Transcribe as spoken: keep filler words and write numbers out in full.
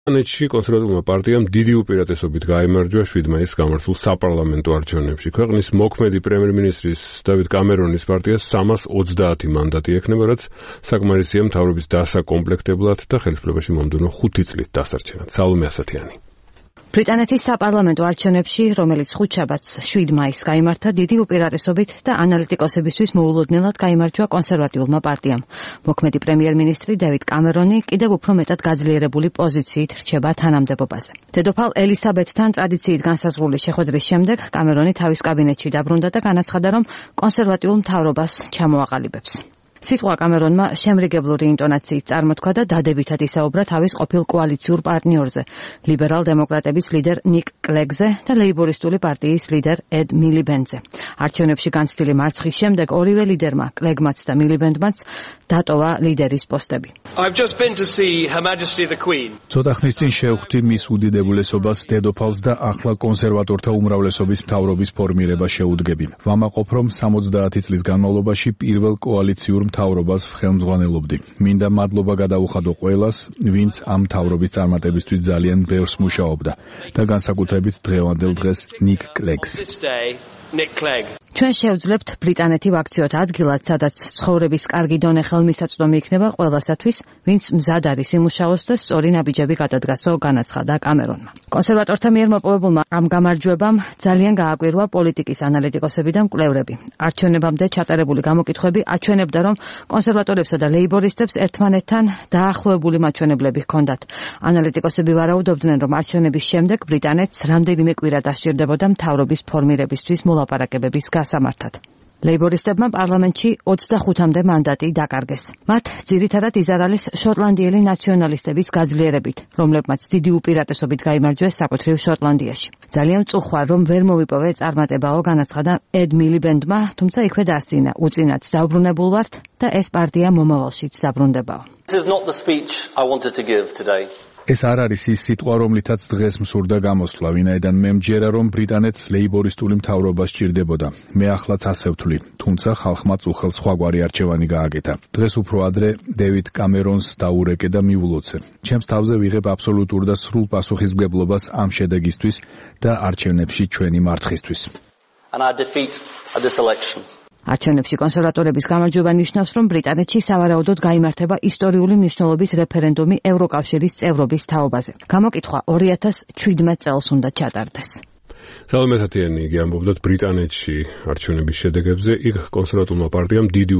ბრიტანეთში კონსერვატულმა პარტიამ დიდი უპირატესობით გაიმარჯვა შვიდ მაისს გამართულ საპარლამენტო არჩევნებში. ქვეყნის მოქმედი პრემიერ-მინისტრის დავით კამერონის პარტიას სამას ოცდაათი მანდატი ექნება, რაც საკმარისია მთავრობის დასაკომპლექტებლად და ხელისუფლებაში მომდევნო ხუთი წლით დასარჩენად. სალომე ასათიანი. ბრიტანეთის საპარლამენტო არჩევნებში, რომელიც ხუთშაბათს შვიდ მაისს გაიმართა, დიდი უპირატესობით და ანალიტიკოსებისთვის მოულოდნელად გაიმარჯვა კონსერვატიულმა პარტიამ. მოქმედი პრემიერ-მინისტრი დევიდ კამერონი კიდევ უფრო მეტად გაძლიერებული პოზიციით რჩება თანამდებობაზე. დედოფალ ელისაბედთან ტრადიციით განსაზღვრული შეხვედრის შემდეგ კამერონი თავის კაბინეტში დაბრუნდა და განაცხადა, რომ კონსერვატიულ მთავრობას ჩამოაყალიბებს. სიტყვა კამერონმა შემრიგებლური ინტონაციით წარმოთქვა და დადებითად ისაუბრა თავის ყოფილ კოალიციურ პარტნიორზე, ლიბერალ დემოკრატების ლიდერ ნიკ კლეგზე და ლეიბორისტული პარტიის ლიდერ ედ მილიბენდზე. არჩევნებში განცდილი მარცხის შემდეგ ორივე ლიდერმა, კლეგმაც და მილიბენდმაც დატოვა ლიდერის პოსტები. ცოტა ხნის წინ შევხვდი მის უდიდებულესობას დედოფალს და ახლა კონსერვატორთა უმრავლესობის მთავრობის ფორმირება შეუდგები. ვამაყობ, რომ სამოცდაათი წლის განმავლობაში პირველ კოალიციურ მთავრობას ხელმძღვანელობდი. მინდა მადლობა გადაუხადო ყველას, ვინც ამ მთავრობის წარმატებისთვის ძალიან ბევრს მუშაობდა და განსაკუთრებით დღევანდელ დღეს ნიკ კლეგს. ჩვენ შევძლებთ ბრიტანეთი ვაქციოთ ადგილად, სადაც ცხოვრების კარგი დონე ხელმისაწვდომი იქნება ყველასათვის, ვინც მზად არის იმუშაოს და სწორი ნაბიჯები გადადგასო, განაცხადა კამერონმა. კონსერვატორთა მიერ მოპოვებულმა ამ გამარჯვებამ ძალიან გააკვირვა პოლიტიკის ანალიტიკოსები და მკვლევრები. არჩევნებამდე ჩატარებული გამოკითხვები აჩვენებდა, რომ კონსერვატორებსა და ლეიბორისტებს ერთმანეთთან დაახლოებული მაჩვენებლები ჰქონდათ. ანალიტიკოსები ვარაუდობდნენ, რომ არჩევნების შემდეგ ბრიტანეთს რამდენიმე კვირა დასჭირდებოდა მთავრობის ფორმირებისთვის მოლაპარაკებების გასამართად. ლეიბორისტებმა პარლამენტში ოცდახუთამდე მანდატი დაკარგეს. მათ ძირითადად იზარალეს შოტლანდიელი ნაციონალისტების გაძლიერებით, რომლებმაც დიდი უპირატესობით გაიმარჯვეს საკუთრივ შოტლანდიაში. ძალიან მწუხვარ, რომ ვერ მოვიპოვე წარმატებაო, განაცხადა ედ მილიბენდმა, თუმცა იქვე დასწინა, უწინაც დაუბრუნებულ ვართ და ეს პარტია მომავალშიც დაბრუნდებაო. ეს არ არის ის სიტყვა, რომლითაც დღეს მსურდა გამოსვლა, ვინაიდან მე მჯერა, რომ ბრიტანეთს ლეიბორისტული მთავრობა სჭირდებოდა. მე ახლაც ასე ვთვლი, თუმცა ხალხმა წუხელ სხვაგვარი არჩევანი გააკეთა. დღეს უფრო ადრე დევიდ კამერონს დაურეკე და მიულოცე. ჩემს თავზე ვიღებ აბსოლუტურ და სრულ პასუხისმგებლობას ამ შედეგისთვის და არჩევნებში ჩვენი მარცხისთვის. არჩევნებში კონსერვატორების გამარჯვება ნიშნავს, რომ ბრიტანეთში სავარაუდოდ გაიმართება ისტორიული მნიშვნელობის რეფერენდუმი ევროკავშირის წევრობის თაობაზე. გამოკითხვა ორი ათას შვიდმეტ წელს უნდა ჩატარდეს. სალომე ასათიანი იგი ამბობდა ბრიტანეთში არჩევნების შედეგებზე, იქ კონსერვატულმა პარტიამ დიდი